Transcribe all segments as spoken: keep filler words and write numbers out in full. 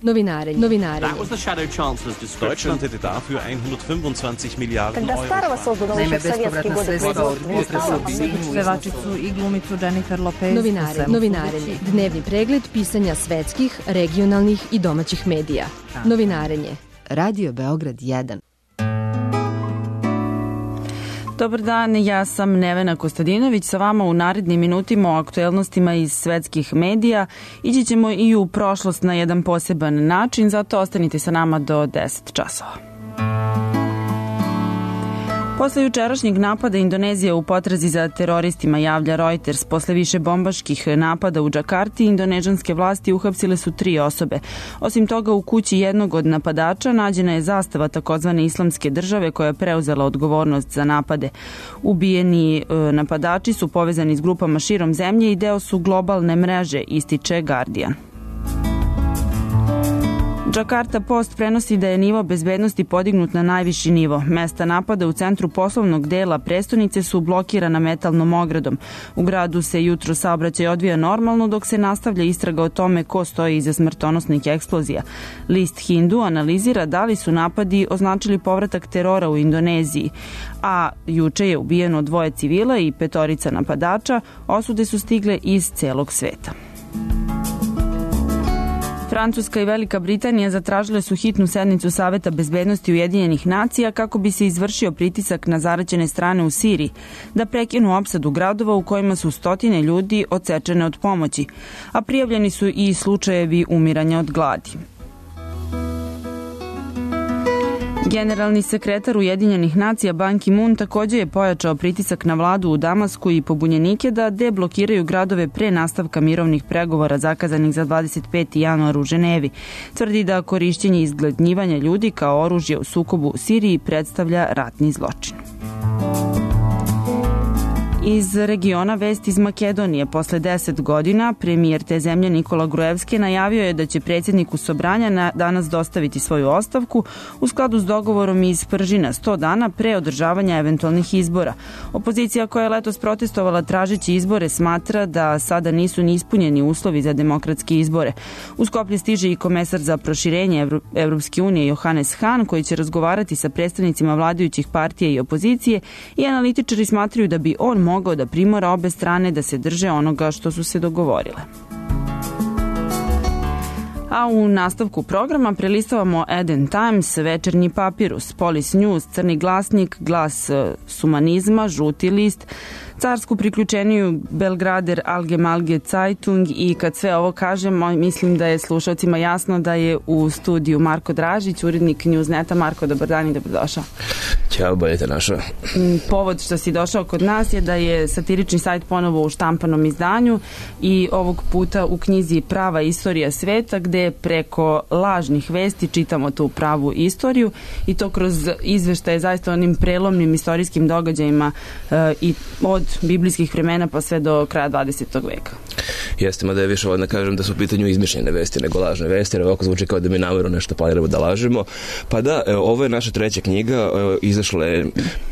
Novinarenje. Novinarenje. Deutschland hätte dafür hundertfünfundzwanzig Miliarden Когда старого создан Naime, еще в советские bespovratna годы sredstva od производства potresa не стало, pevačicu i glumicu Jennifer Lopez. Novinare, novinarenje. Dnevni pregled pisanja svetskih, regionalnih i domaćih medija. Novinarenje. Radio Beograd jedan. Dobar dan, ja sam Nevena Kostadinović, sa vama u narednim minutima o aktuelnostima iz svetskih medija. Ići ćemo i u prošlost na jedan poseban način, zato ostanite sa nama do deset časova. Posle jučerašnjeg napada Indonezija u potrazi za teroristima, javlja Reuters. Posle više bombaških napada u Džakarti, indonežanske vlasti uhapsile su tri osobe. Osim toga, u kući jednog od napadača nađena je zastava takozvane islamske države koja je preuzela odgovornost za napade. Ubijeni e, napadači su povezani s grupama širom zemlje i deo su globalne mreže, ističe Guardian. Džakarta Post prenosi da je nivo bezbednosti podignut na najviši nivo. Mesta napada u centru poslovnog dela prestonice su blokirana metalnom ogradom. U gradu se jutro saobraćaj odvija normalno, dok se nastavlja istraga o tome ko stoji iza smrtonosnih eksplozija. List Hindu analizira da li su napadi označili povratak terora u Indoneziji, a juče je ubijeno dvoje civila i petorica napadača. Osude su stigle iz celog sveta. Francuska i Velika Britanija zatražile su hitnu sednicu Saveta bezbednosti Ujedinjenih nacija kako bi se izvršio pritisak na zaraćene strane u Siriji da prekinu opsadu gradova u kojima su stotine ljudi odsečene od pomoći, a prijavljeni su i slučajevi umiranja od gladi. Generalni sekretar Ujedinjenih nacija Ban Ki-moon takođe je pojačao pritisak na vladu u Damasku i pobunjenike da deblokiraju gradove pre nastavka mirovnih pregovora zakazanih za dvadeset peti januar u Ženevi. Tvrdi da korišćenje izgladnjivanja ljudi kao oružje u sukobu u Siriji predstavlja ratni zločin. Iz regiona vest iz Makedonije. Posle deset godina premijer te zemlje Nikola Gruevski najavio je da će predsjedniku Sobranja na danas dostaviti svoju ostavku u skladu s dogovorom iz Pržina sto dana pre održavanja eventualnih izbora. Opozicija koja je letos protestovala tražeći izbore smatra da sada nisu ni ispunjeni uslovi za demokratske izbore. U Skoplje stiže i komesar za proširenje Evro- Evropske unije Johannes Hahn, koji će razgovarati sa predstavnicima vladajućih partija i opozicije, i analitičari smatraju da bi on mogao da primora obe strane da se drže onoga što su se dogovorile. A u nastavku programa prelistavamo Eden Times, Večernji papirus, Polis News, Crni glasnik, Glas sumanizma, Žuti list, Carsku priključeniju Belgrader Allgemeine Zeitung, i kad sve ovo kažemo, mislim da je slušalcima jasno da je u studiju Marko Dražić, urednik Newsneta. Marko, dobar dan i dobrodošao. Ćao, bolje te našao. Povod što si došao kod nas je da je satirični sajt ponovo u štampanom izdanju i ovog puta u knjizi Prava istorija sveta, gde preko lažnih vesti čitamo tu pravu istoriju, i to kroz izveštaje zaista onim prelomnim istorijskim događajima e, i od biblijskih vremena pa sve do kraja dvadesetog veka. Jeste, mada je više odna kažem da su u pitanju izmišljene vesti nego lažne vesti, jer ovako zvuči kao da mi namjerno nešto planiramo da lažemo. Pa da, evo, ovo je naša treća knjiga, evo, izašla je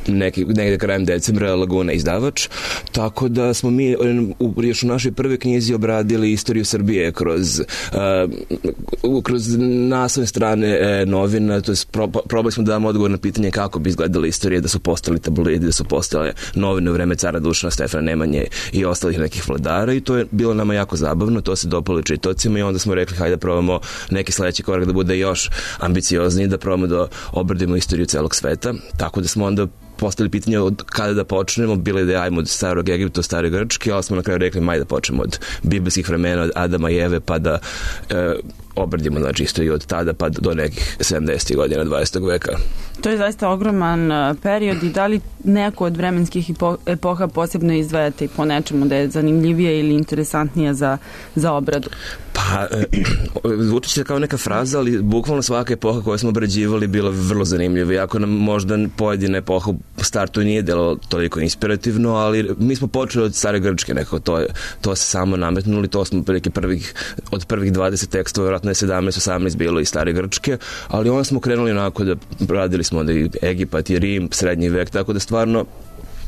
neki, negde krajem decembra, Laguna izdavač, tako da smo mi u, još u našoj prvoj knjizi obradili istoriju Srbije kroz, uh, kroz naslovne strane e, novina, to je pro, probali smo da damo odgovor na pitanje kako bi izgledala istorija, da su postali tabloidi, da su postale novine u vreme cara Dušana, Stefana Nemanje i ostalih nekih vladara, i to je bilo nama jako zabavno, to se dopalo čitaocima, i onda smo rekli hajde da probamo neki sledeći korak da bude još ambiciozniji, da probamo da obradimo istoriju celog sveta, tako da smo onda postavili pitanje od kada da počnemo, bilo je da ajmo od starog Egipta, stare Grčke, ali smo na kraju rekli maj da počnemo od biblijskih vremena, od Adama i Eve, pa da e, obradimo, znači, istoriju od tada pa do nekih sedamdesetih godina dvadesetog veka. To je zaista ogroman period, i da li neko od vremenskih epoha posebno izdvajate po nečemu da je zanimljivija ili interesantnija za, za obradu? Pa, zvuči se kao neka fraza, ali bukvalno svaka epoha koju smo obrađivali bila vrlo zanimljiva. Iako nam možda pojedina epoha u startu nije delo toliko inspirativno, ali mi smo počeli od stare Grčke, nekako to, to se samo nametnuli, to smo prilike prvih, od prvih dvadeset tekstova, vjerojatno je sedamnaest osamnaest bilo i stare Grčke, ali onda smo krenuli onako da radili smo onda i Egipat i Rim, srednji vek, tako da stvarno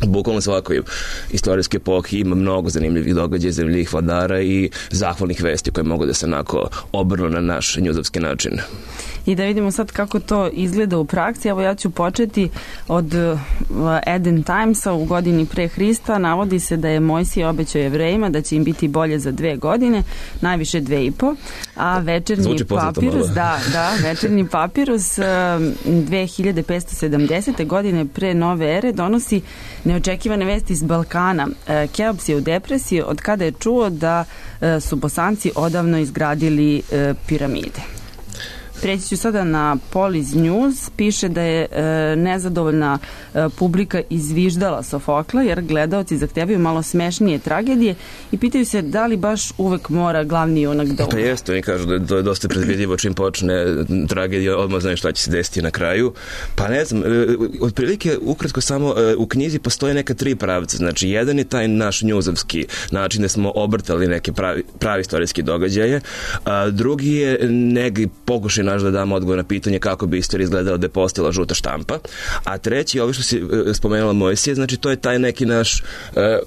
bukvalno svakoj istorijske epohi ima mnogo zanimljivih događaja, zanimljivih vladara i zahvalnih vesti koje mogu da se onako obrnu na naš njuzovski način. I da vidimo sad kako to izgleda u praksi. Evo ja ću početi od Eden Timesa u godini pre Hrista. Navodi se da je Mojsije obećao Jevrejima da će im biti bolje za dve godine, najviše dve i po, a večernji papirus, da, da, večernji papirus dve hiljade petsto sedamdesete godine pre nove ere donosi neočekivane vesti iz Balkana. Keops je u depresiji od kada je čuo da su Bosanci odavno izgradili piramide. Preći ću sada na Polis News. Piše da je e, nezadovoljna e, publika izviždala Sofokla jer gledaoci zahtevaju malo smešnije tragedije i pitaju se da li baš uvek mora glavni junak da umre. Pa jeste, oni kažu da je, to je dosta predvidivo čim počne tragedija, odmah znaš šta će se desiti na kraju. Pa ne znam, e, otprilike ukratko samo e, u knjizi postoje neka tri pravca. Znači, jedan je taj naš njuzovski način da smo obrtali neke pravi, pravi istorijski događaje, a drugi je neki pokušaj naš da damo odgovor na pitanje kako bi istorija izgledala da je postala žuta štampa, a treći, ovo što si spomenula Mojsije, znači to je taj neki naš e,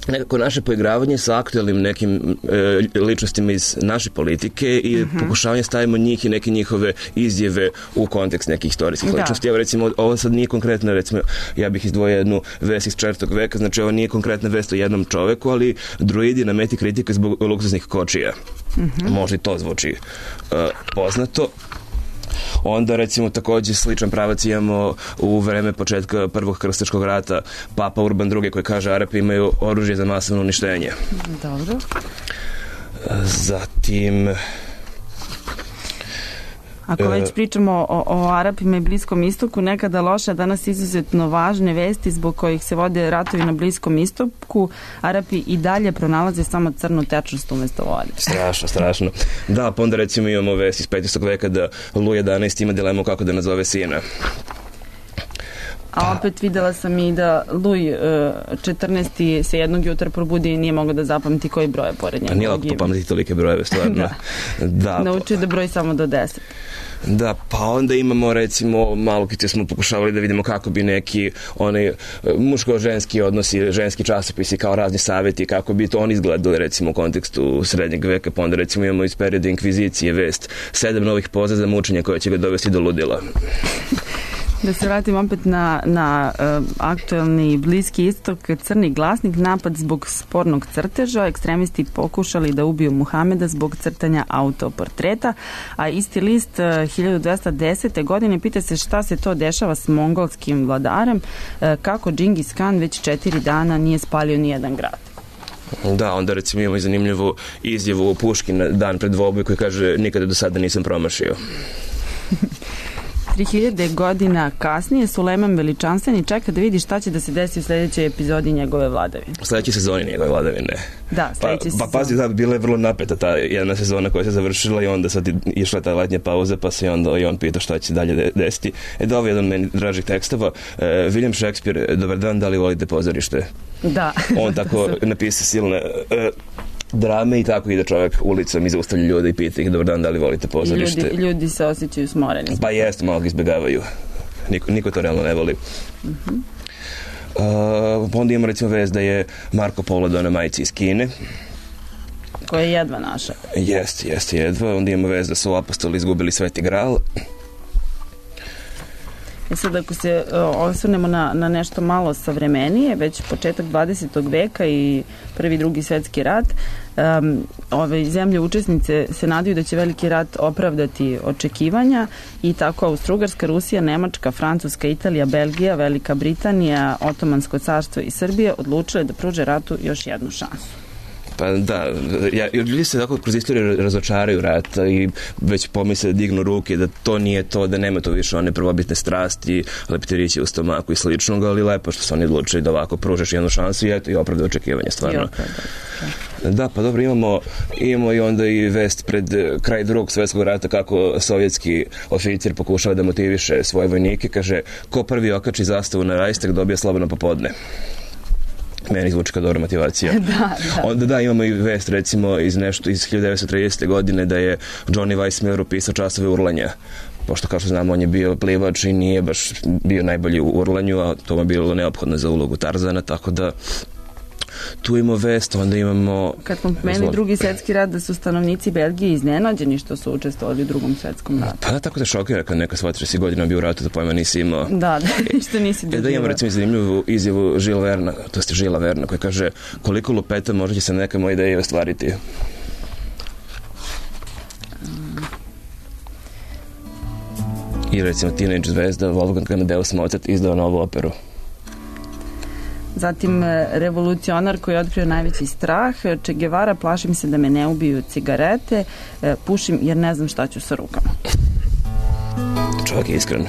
nekako naše poigravanje sa aktuelnim nekim e, ličnostima iz naše politike i uh-huh. pokušavanje stavimo njih i neke njihove izjave u kontekst nekih istorijskih ličnosti. Evo recimo, ovo sad nije konkretno, recimo, ja bih izdvojio jednu vest iz četvrtog veka, znači ovo nije konkretna vest o jednom čoveku, ali druidi na meti kritike zbog luksuznih kočija. Uh-huh. Možda i to zvuči uh, poznato. Onda recimo takođe sličan pravac imamo u vreme početka prvog krstaškog rata Papa Urban drugi koji kaže Arapi imaju oružje za masovno uništenje. Dobro. Zatim Ako već pričamo o, o Arapima i Bliskom istoku, nekada loše, danas izuzetno važne vesti zbog kojih se vode ratovi na Bliskom istoku, Arapi i dalje pronalaze samo crnu tečnost umesto vode. Strašno, strašno. Da, pa onda recimo imamo vest iz petnaestog veka da Luj jedanaesti ima dilemu kako da nazove sina. A opet videla sam i da Luj četrnaesti se jednog jutra probudi i nije mogao da zapamti koji broj je pored njegovog imena. Pa nije lako pametiti tolike brojeve, stvarno. da. da. Naučio da broji samo do deset. Da, pa onda imamo recimo, malo kad smo pokušavali da vidimo kako bi neki onaj muško-ženski odnosi, ženski časopisi kao razni savjeti, kako bi to oni izgledali recimo u kontekstu srednjeg veka, pa onda recimo imamo iz perioda inkvizicije vest, sedam novih poza za mučenje koje će ga dovesti do ludila. Da se vratim opet na, na uh, aktuelni Bliski istok, Crni glasnik, napad zbog spornog crteža, ekstremisti pokušali da ubiju Muhameda zbog crtanja autoportreta, a isti list uh, hiljadu dvesta desete godine pita se šta se to dešava s mongolskim vladarem, uh, kako Džingis Kan već četiri dana nije spalio nijedan grad. Da, onda recimo imamo i zanimljivu izjavu Puškina dan pred dvoboj koji kaže nikada do sada nisam promašio. tri hiljade godina kasnije Sulejman Veličanstveni čeka da vidi šta će da se desi u sledećoj epizodi njegove vladavine. U sledećoj sezoni njegove vladavine. Da, sledeća sezona. Pa, pa pazi, da, bila je vrlo napeta ta jedna sezona koja se završila i onda sad išla ta letnja pauza, pa se onda i on pita šta će dalje desiti. E da, ovo je jedan meni dražih tekstova. E, William Shakespeare, dobar dan, da li volite pozorište? Da. On tako napisao silne... E, drame i tako ide čovjek ulicom i zaustavlja ljude i pita ih dobar dan, da li volite pozorište. Ljudi, ljudi se osjećaju smoreni. Pa jeste, malo ga izbjegavaju. Niko, niko to realno ne voli. Uh-huh. Uh, onda imamo recimo vest da je Marko Polo doneo majici iz Kine. Koja je jedva naša. Jeste, jeste jedva. Onda imamo vest da su apostoli izgubili Sveti Gral. I sad ako se uh, osvrnemo na, na nešto malo savremenije, već početak dvadesetog veka i prvi, drugi svetski rat, um, ove zemlje učesnice se nadaju da će veliki rat opravdati očekivanja i tako Austro-Ugarska, Rusija, Nemačka, Francuska, Italija, Belgija, Velika Britanija, Otomansko carstvo i Srbija odlučile da pruže ratu još jednu šansu. Pa da, ja, ljudi se tako kroz istoriju razočaraju rata i već pomisle da dignu ruke, da to nije to, da nema to više one prvobitne strasti, leptirići u stomaku i sličnog, ali lepo što su oni odlučili da ovako pružeš jednu šansu i eto i opravda očekivanja, stvarno. Da, pa dobro, imamo, imamo i onda i vest pred kraj drugog svjetskog rata kako sovjetski oficir pokušava da motiviše svoje vojnike, kaže, ko prvi okači zastavu na Rajstag dobija slobodno popodne. Meni zvuči kao dobra motivacija. da, da. Onda da, imamo i vest recimo iz nešto iz hiljadu devetsto tridesete godine da je Johnny Weissmuller upisao časove urlanja pošto kao što znamo on je bio plivač i nije baš bio najbolji u urlanju, a to mu je bilo neophodno za ulogu Tarzana, tako da tu imamo vest, onda imamo... Kad smo pomenuli drugi svjetski rat, da su stanovnici Belgije iznenađeni što su učestvovali u drugom svjetskom ratu. Pa da, tako te šokira kad neka shvati si godina bio u ratu, da pojma nisi imao. Da, da, što nisi doživao. Da imamo recimo zanimljivu izjavu Žila Verna, to je Žila Verna, koja kaže koliko lupeta možda će se neka moja ideja ostvariti. I recimo teenage zvezda Wolfgang Amadeus Mozart izdao novu operu. Zatim revolucionar koji je otkrio najveći strah, Che Guevara, plašim se da me ne ubiju cigarete, pušim jer ne znam šta ću sa rukama. Čovjek je iskren.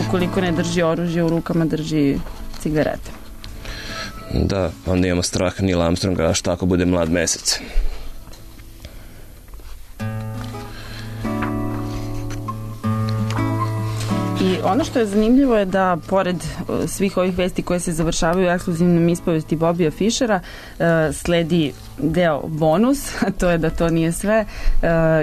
Ukoliko ne drži oružje u rukama, drži cigarete. Da, onda imamo strah Neil Armstronga, a šta ako bude mlad mesec? I ono što je zanimljivo je da pored svih ovih vesti koje se završavaju u ekskluzivnom ispovesti Bobija Fišera sledi deo bonus, a to je da to nije sve,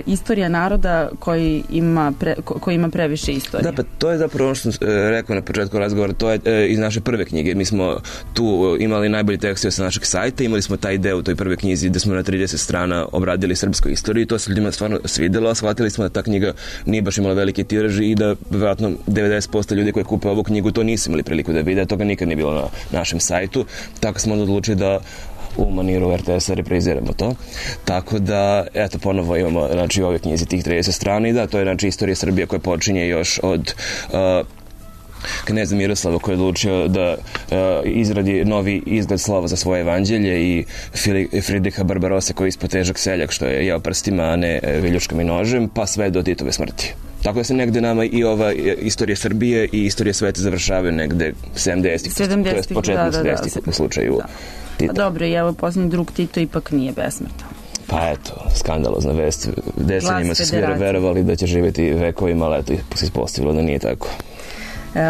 istorija naroda koji ima, pre, koji ima previše istorije. Da, pa to je zapravo ono što sam rekao na početku razgovora, to je iz naše prve knjige. Mi smo tu imali najbolji tekst sa našeg sajta, imali smo taj deo u toj prve knjizi gde smo na trideset strana obradili srpsku istoriju i to se ljudima stvarno svidelo, a shvatili smo da ta knjiga nije baš imala velike tiraže i da vjerojatno devedeset posto ljudi koji kupe ovu knjigu to nisu imali priliku da vide, toga nikad nije bilo na našem sajtu, tako smo onda odlučili da u maniru er te esa repriziramo to. Tako da, eto, ponovo imamo, znači, ove knjizi tih trideset strana i da, to je, znači, istorija Srbije koja počinje još od uh, kneza Miroslava koji je odlučio da uh, izradi novi izgled slova za svoje evanđelje i Fridriha Barbarosa koji je ispod težak seljak što je jeo prstima, a ne viljuškom i nožem, pa sve do Titove smrti. Tako da se negde nama i ova istorija Srbije i istorija sveta završavaju negde sedamdesetih, to je početno sedamdesetih u slučaju da. Tita. Pa dobro, i evo posljednji drug Tito ipak nije besmrtan. Pa eto, skandalozna vest. Decenijima se svi verovali da će živjeti vekovima, ali eto, se ispostavilo da nije tako.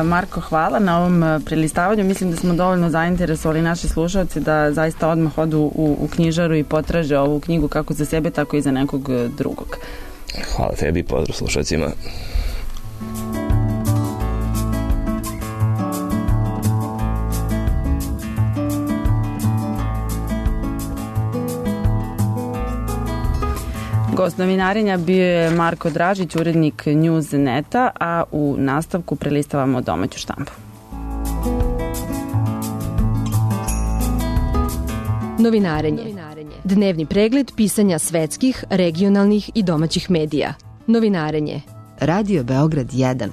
Marko, hvala na ovom prelistavanju. Mislim da smo dovoljno zainteresovali naše slušalce da zaista odmah odu u, u knjižaru i potraže ovu knjigu kako za sebe, tako i za nekog drugog. Hvala tebi i pozdrav slušalcima. Gost novinarenja bio je Marko Dražić, urednik Newsneta, a u nastavku prelistavamo domaću štampu. Novinarenje. Dnevni pregled pisanja svetskih, regionalnih i domaćih medija. Novinarenje. Radio Beograd jedan.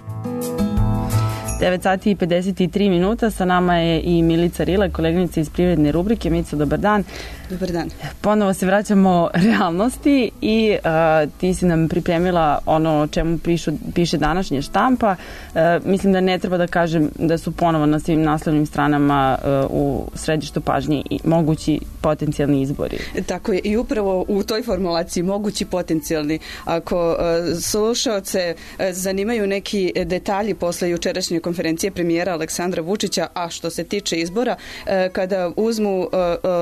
devet sati i pedeset tri minuta, sa nama je i Milica Rile, koleginica iz privredne rubrike. Milica, dobar dan. Dobar dan. Ponovo se vraćamo realnosti i uh, ti si nam pripremila ono o čemu pišu, piše današnja štampa. Uh, mislim da ne treba da kažem da su ponovo na svim naslovnim stranama uh, u središtu pažnje i mogući potencijalni izbori. Tako je, i upravo u toj formulaciji mogući potencijalni. Ako uh, slušaoce uh, zanimaju neki detalji posle jučerašnje konferencije premijera Aleksandra Vučića, a što se tiče izbora, uh, kada uzmu uh,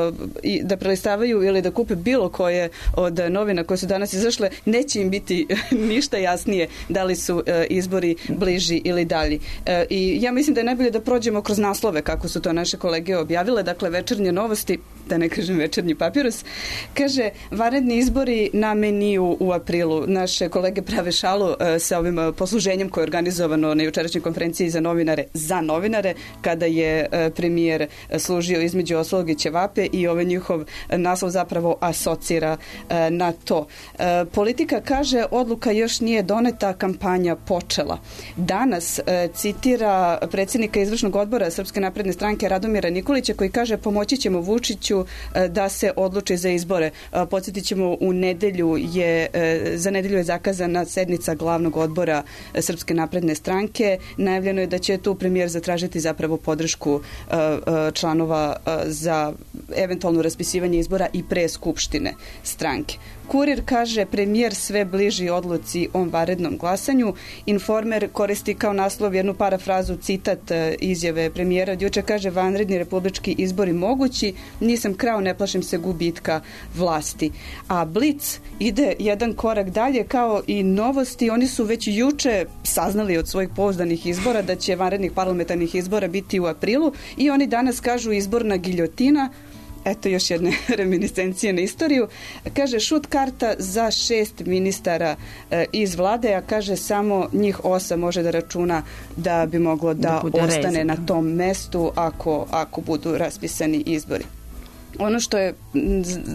uh, i da prelistavaju ili da kupe bilo koje od novina koje su danas izašle, neće im biti ništa jasnije da li su e, izbori bliži ili dalji. E, I ja mislim da je najbolje da prođemo kroz naslove kako su to naše kolege objavile. Dakle, Večernje novosti, da ne kažem Večernji papirus, kaže vanredni izbori na meniju u aprilu. Naše kolege prave šalu e, sa ovim posluženjem koje je organizovano na jučerašnjoj konferenciji za novinare za novinare, kada je e, premijer služio između ostalog i ćevape i ovaj njihov naslov zapravo asocira e, na to. E, politika kaže odluka još nije doneta, kampanja počela. Danas e, citira predsjednika izvršnog odbora Srpske napredne stranke Radomira Nikolića koji kaže pomoći ćemo Vučiću e, da se odluči za izbore. E, podsjetit ćemo, u nedelju je, e, za nedelju je zakazana sednica glavnog odbora e, Srpske napredne stranke. Najavljeno je da će tu premijer zatražiti zapravo podršku e, e, članova e, za eventualno raspisivanje izbora i pre skupštine stranke. Kurir kaže premijer sve bliži odluci o vanrednom glasanju. Informer koristi kao naslov jednu parafrazu, citat izjave premijera od juče, kaže vanredni republički izbori mogući, nisam krao, ne plašim se gubitka vlasti. A Blic ide jedan korak dalje, kao i Novosti, oni su već juče saznali od svojih pouzdanih izbora da će vanrednih parlamentarnih izbora biti u aprilu i oni danas kažu izborna giljotina. Eto još jedne reminiscencije na istoriju. Kaže šut karta za šest ministara e, iz vlade, a kaže samo njih osam može da računa da bi moglo da, da ostane rezim. Na tom mestu ako, ako budu raspisani izbori. Ono što je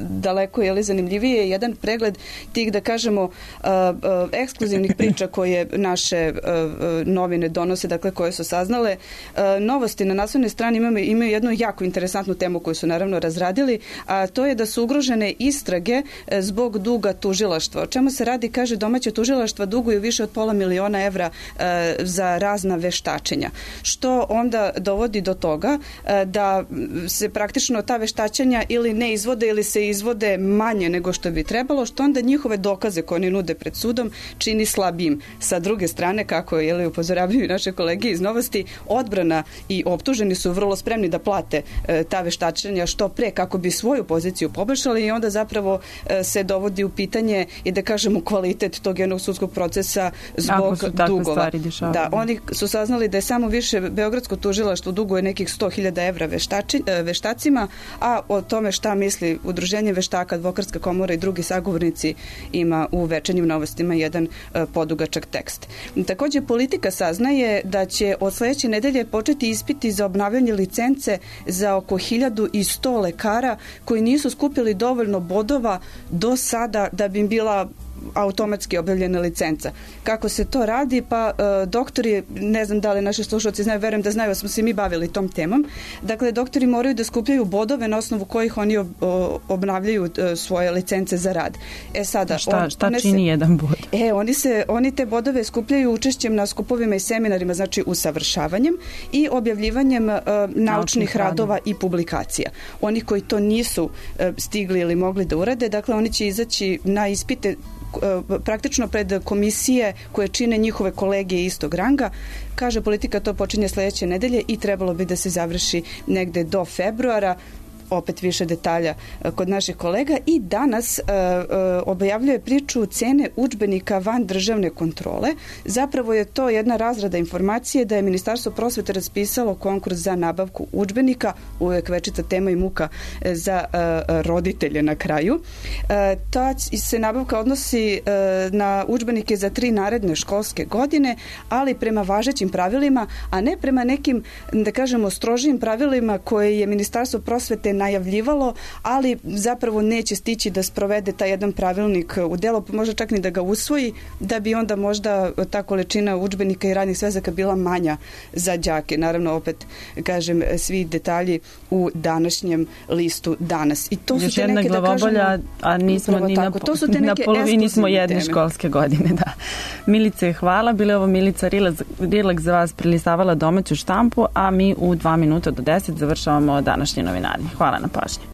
daleko je li zanimljivije je jedan pregled tih, da kažemo, uh, uh, ekskluzivnih priča koje naše uh, novine donose, dakle koje su saznale. Uh, novosti na naslovnoj strani imaju, imaju jednu jako interesantnu temu koju su naravno razradili, a to je da su ugrožene istrage zbog duga tužilaštva. O čemu se radi? Kaže, domaće tužilaštva duguju više od pola miliona evra uh, za razna veštačenja. Što onda dovodi do toga uh, da se praktično ta veštačenja ili ne izvode ili se izvode manje nego što bi trebalo, što onda njihove dokaze koje oni nude pred sudom čini slabijim. Sa druge strane, kako je upozoravaju naše kolege iz Novosti, odbrana i optuženi su vrlo spremni da plate e, ta veštačenja što pre kako bi svoju poziciju poboljšali i onda zapravo e, se dovodi u pitanje i da kažemo kvalitet tog jednog sudskog procesa zbog dugova. Da, oni su saznali da je samo više Beogradsko tužilaštvo duguje nekih sto hiljada evra veštači, e, veštacima, a o tome šta misli Udruženje veštaka, Advokatska komora i drugi sagovornici ima u Večernjim novostima jedan e, podugačak tekst. Takođe, Politika saznaje da će od sledeće nedelje početi ispiti za obnavljanje licence za oko hiljadu sto lekara koji nisu skupili dovoljno bodova do sada da bi im bila automatski objavljena licenca. Kako se to radi? Pa e, doktori, ne znam da li naši slušalci znaju, verujem da znaju, smo se mi bavili tom temom. Dakle, doktori moraju da skupljaju bodove na osnovu kojih oni ob, o, obnavljaju e, svoje licence za rad. E sada, šta, on, šta čini se, jedan bod? E, oni, se, oni te bodove skupljaju učešćem na skupovima i seminarima, znači usavršavanjem i objavljivanjem e, naučnih, naučnih radova radi. I publikacija. Oni koji to nisu e, stigli ili mogli da urade, dakle, oni će izaći na ispite praktično pred komisije koje čine njihove kolege istog ranga. Kaže, Politika to počinje sledeće nedelje i trebalo bi da se završi negde do februara. Opet više detalja kod naših kolega i danas uh, uh, objavljuje priču cene udžbenika van državne kontrole. Zapravo je to jedna razrada informacije da je Ministarstvo prosvete raspisalo konkurs za nabavku udžbenika, uvek večita tema i muka za uh, roditelje na kraju. Uh, ta se nabavka odnosi uh, na udžbenike za tri naredne školske godine, ali prema važećim pravilima, a ne prema nekim, da kažemo, strožijim pravilima koje je Ministarstvo prosvete najavljivalo, ali zapravo neće stići da sprovede taj jedan pravilnik u delo, možda čak ni da ga usvoji, da bi onda možda ta količina udžbenika i radnih svezaka bila manja za đake. Naravno, opet, kažem, svi detalji u današnjem listu danas. I to još su te jedna neke, glavobolja, da kažemo, a nismo ni na, to su te na polovini smo jedne teme. Školske godine. Da. Milice, hvala. Bile ovo Milica Rilak za vas prelistavala domaću štampu, a mi u dva minuta do deset završavamo današnje novinari. Hvala na pažnji.